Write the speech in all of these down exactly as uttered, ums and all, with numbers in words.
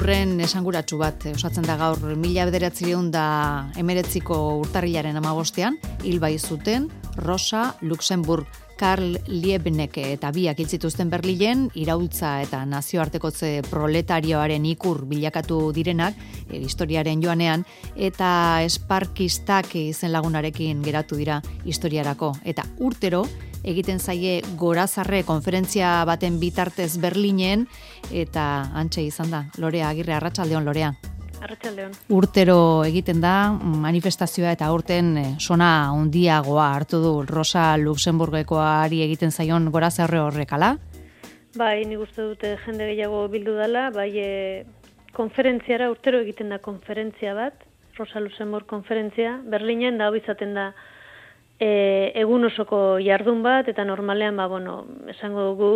ikurren esanguratsu bat osatzen da gaur mila bederatziehun da hemeretziko urtarrilaren hamabostean, hil bai zuten Rosa Luxemburg, Karl Liebknecht eta biak hil zituzten Berlinen, iraultza eta nazioartekotze proletarioaren ikur bilakatu direnak, e, historiaren joanean, eta esparkistak izen lagunarekin geratu dira historiarako. Eta urtero, egiten zaie Gorazarre konferentzia baten bitartez Berlinen, eta hantxe izan da, Lorea Agirre, arratsaldeon Lorea. Arratsaldeon. Urtero egiten da manifestazioa eta aurten sona handiagoa hartu du Rosa Luxemburgekoari egiten zaion Gorazarre horrekala? Bai, nik uste dute jende gehiago bildu dela, bai e, konferentziara, urtero egiten da konferentzia bat, Rosa Luxemburg konferentzia, Berlinen da hau izaten da E, egun osoko jardun bat, eta normalean, ba, bueno, esango dugu,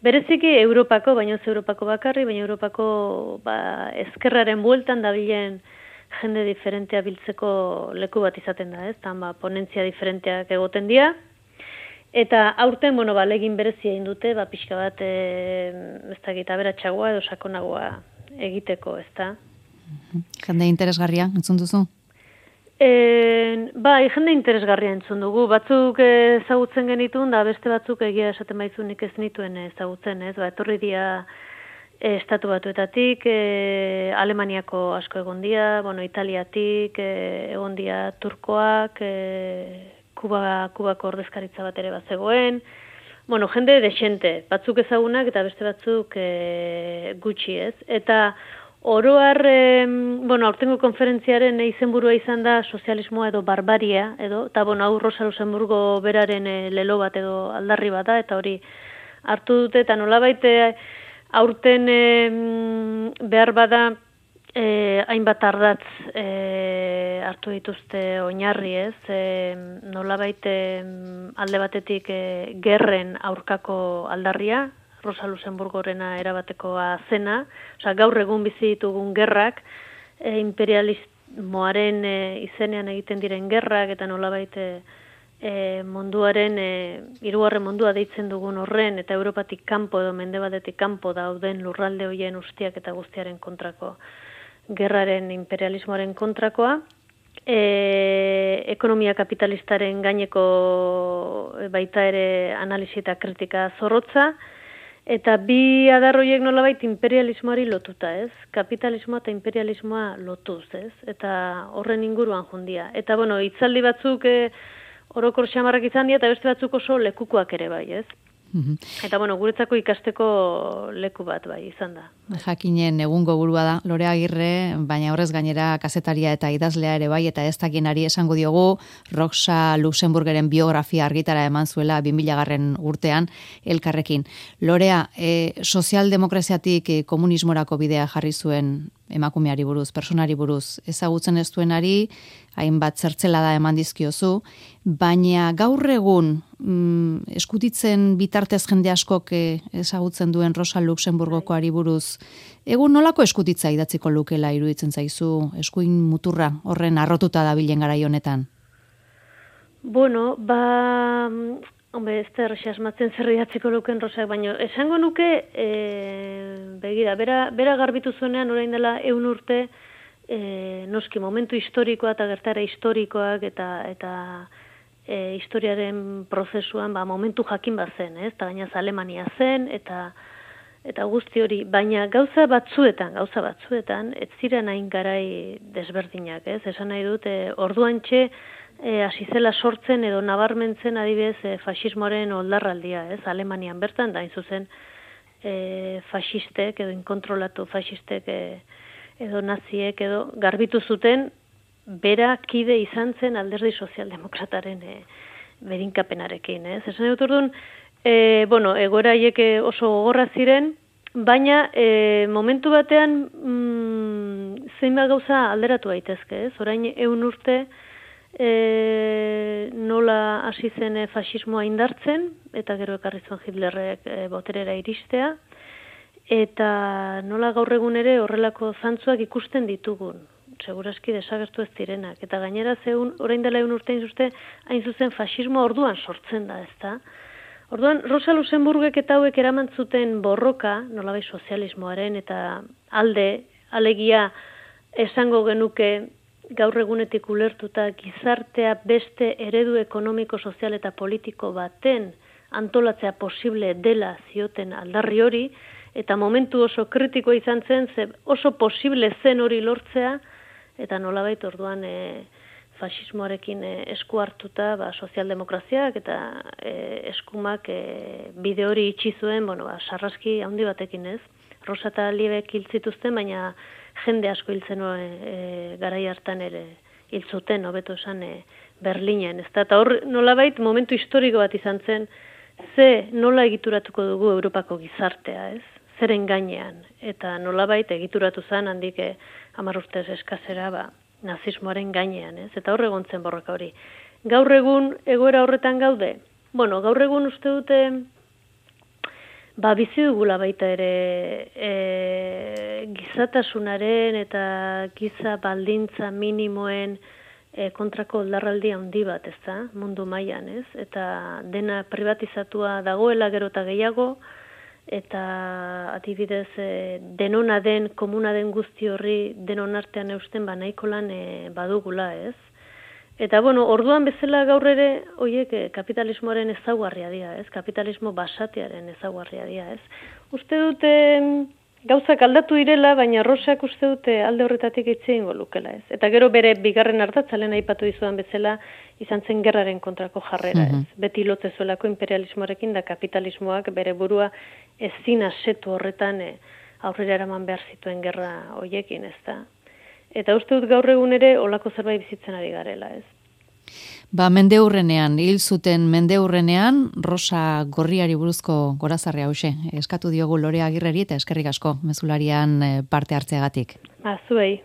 bereziki Europako, baina ez Europako bakarri, baina Europako ba, ezkerraren bueltan dabilen jende diferentea biltzeko leku bat izaten da, ez? Tan, ba, ponentzia diferenteak egoten dira, eta aurten, bueno, ba, legin berezia indute, ba, pixka bat, e, ez da gita beratxagoa edo sakonagoa egiteko, ez da? Jende interesgarria, entzun duzu? E, bai, jende interesgarria entzun dugu. Batzuk ezagutzen genitun, da beste batzuk egia esaten baizu nik ez nituen ezagutzen, ez? Ba, etorri dira e, estatu batuetatik, e, Alemaniako asko egon dira, bueno, Italiatik, e, egon dira Turkoak, e, Kuba, Kubako ordezkaritza bat ere bat zegoen, bueno, jende desente, batzuk ezagunak eta beste batzuk e, gutxi, ez? Eta oroar, eh, bueno, aurtengo konferentziaren izenburua izan da sozialismoa edo barbaria, edo, eta bueno, hau Rosa Luxemburgo beraren eh, lelo bat edo aldarri bat da, eta hori hartu dute, eta nolabait aurten eh, behar bada eh, hainbat ardatz eh, hartu dituzte oinarri, ez, eh, nolabait eh, alde batetik eh, gerren aurkako aldarria, Rosa Luxemburgorena erabatekoa zena, osea gaur egun bizi ditugun gerrak, e, imperialismoaren e, izenean egiten diren gerrak eta nolabait e, munduaren e, hirugarren mundua deitzen dugun horren eta Europatik kanpo edo mendebaldetik kanpo dauden lurralde hoien ustiak eta guztiaren kontrako gerraren imperialismoaren kontrakoa. E, ekonomia kapitalistaren gaineko baita ere analisi eta kritika zorrotza. Eta bi adarroiek nolabait imperialismoari lotuta, ez? Kapitalismoa eta imperialismoa lotuz, ez? Eta horren inguruan jundia. Eta, bueno, hitzaldi batzuk e, orokor xamarrak izan dira, eta beste batzuk oso lekukoak ere bai, ez? Mm-hmm. Eta, bueno, guretzako ikasteko leku bat bai, izan da. Jakinen egungo burua da, Lorea Agirre, baina horrez gainera kazetaria eta idazlea ere bai, eta ez dakienari esango diogu, Rosa Luxemburgeren biografia argitara eman zuela bi mila garren urtean elkarrekin. Lorea, e, sozialdemokraziatik e, komunismorako bidea jarri zuen emakumeari buruz, personari buruz, ezagutzen ez duenari, hainbat zertzela da eman dizkiozu, baina gaur egun mm, eskutitzen bitartez jende askok e, ezagutzen duen Rosa Luxemburgokoari buruz, egun nolako eskutitza idatziko lukela iruditzen zaizu, eskuin muturra horren arrotuta dabilen garai honetan? Bueno, ba, hombre, ez da errexas asmatzen zer idatziko luken Rosak, baina esango nuke, e, begira, bera, bera garbitu zuenean orain dela eun urte, e, noski momentu historikoa eta gertara historikoak eta eta e, historiaren prozesuan ba, momentu jakin bat zen, ez? Eta gainaz Alemania zen, eta eta guzti hori, baina gauza batzuetan, gauza batzuetan, ez ziren hain garai desberdinak, ez? Esan nahi dut, e, orduantxe, E, hasi zela sortzen edo nabarmentzen adibidez e, fasismoaren oldarraldia, ez? Alemanian bertan, da hain zuzen e, fasistek edo inkontrolatu fasistek e, edo naziek edo garbitu zuten bera kide izan zen alderdi sozialdemokrataren e, berinkapenarekin, ez? Esan dut orduan, e, bueno, egoera haiek oso gogorra ziren, baina e, momentu batean mm, zeinbat gauza alderatu daitezke, ez? Orain ehun urte E, nola hasi zen e, fasismoa indartzen, eta gero ekarri zuen Hitlerrek e, boterera iristea, eta nola gaur egun ere horrelako zantzuak ikusten ditugun, segurazki desagertu ez direnak, eta gainera zeun, orain dela egun urtein zuzte, hain zuzen fasismoa orduan sortzen da, ezta? Orduan, Rosa Luxemburgek eta hauek eraman zuten borroka, nolabait sozialismoaren eta alde Alegia, esango genuke gaur egunetik ulertuta gizartea beste eredu ekonomiko, sozial eta politiko baten antolatzea posible dela zioten aldarri hori, eta momentu oso kritikoa izan zen, ze oso posible zen hori lortzea, eta nolabait orduan e, fasismoarekin e, esku hartuta, ba, sozialdemokraziak eta e, eskumak e, bide hori itxi zuen, bueno, ba, sarraski handi batekin ez. Rosa eta Liebek hil zituzten, baina jende asko hiltzen e, e, garai hartan ere hil zuten, hobeto esan e, Berlinen, ez da, eta hor nolabait momentu historiko bat izan zen, ze nola egituratuko dugu Europako gizartea, ez? Zeren gainean, eta nolabait egituratu zen handik eh, hamar urtez eskazera ba, nazismoaren gainean, ez? Eta hor egon zen borroka hori. Gaur egun egoera horretan gaude? Bueno, gaur egun uste dute ba, bizi dugula baita ere e, gizatasunaren eta giza baldintza minimoen e, kontrako oldarraldi handi bat, ez da, mundu mailan, ez? Eta dena privatizatua dagoela gero eta gehiago, eta adibidez e, denona den, komuna den guzti horri denon artean eusten ba nahiko lan e, badugula, ez? Eta bueno, orduan bezala gaur ere hoiek e, kapitalismoaren ezaugarria dira, ez? Kapitalismo basatearen ezaugarria dira, ez? Uste dute gauzak aldatu direla, baina Rosak uste dute alde horretatik hitz egingo lukela, ez? Eta gero bere bigarren ardatza lehen aipatu dizudan bezala izan zen gerraren kontrako jarrera, ez? Mm-hmm. Beti lote zuelako imperialismoarekin da kapitalismoak bere burua ezin asetu horretan e, aurrera eraman behar zituen gerra hoiekin, ez da? Eta uste dut gaur egun ere olako zerbait bizitzen ari garela, ez? Ba, mendeurrenean, hil zuten mendeurrenean, Rosa Gorriari buruzko gorazarria hause. Eskatu diogu Lorea Agirreri eta eskerrik asko mezularian parte hartzeagatik. Ba, zuei.